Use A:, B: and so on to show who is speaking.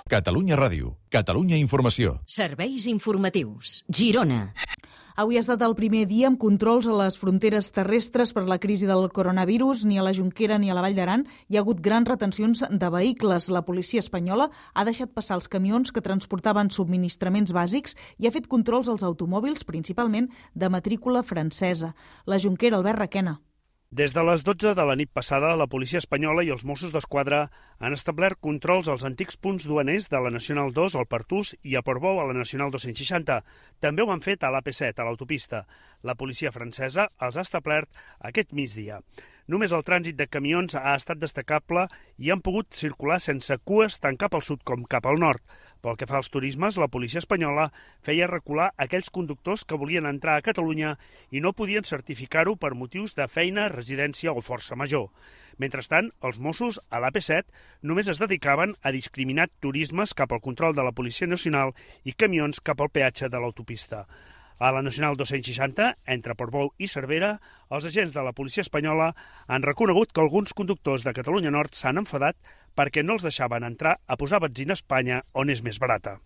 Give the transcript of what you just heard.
A: Catalunya Ràdio, Catalunya Informació.
B: Serveis informatius. Girona.
C: Avui ha estat el primer dia amb controls a les fronteres terrestres per la crisi del coronavirus. Ni a la Jonquera ni a la Vall d'Aran hi ha hagut grans retencions de vehicles. La policia espanyola ha deixat passar els camions que transportaven subministraments bàsics i ha fet controls als automòbils, principalment de matrícula francesa. La Jonquera, Albert Requena.
D: Des de les 12 de la nit passada, la policia espanyola i els Mossos d'Esquadra han establert controls als antics punts duaners de la Nacional 2 al Pertús i a Portbou a la Nacional 260. També ho han fet a l'AP7, a l'autopista. La policia francesa els ha establert aquest migdia. Només el trànsit de camions ha estat destacable i han pogut circular sense cues tant cap al sud com cap al nord. Pel que fa als turismes, la policia espanyola feia recular aquells conductors que volien entrar a Catalunya i no podien certificar-ho per motius de feina, residència o força major. Mentrestant, els Mossos, a l'AP7, només es dedicaven a discriminar turismes cap al control de la Policia Nacional i camions cap al peatge de l'autopista. A la Nacional 260, entre Portbou i Cervera, els agents de la policia espanyola han reconegut que alguns conductors de Catalunya Nord s'han enfadat perquè no els deixaven entrar a posar benzina a Espanya, on és més barata.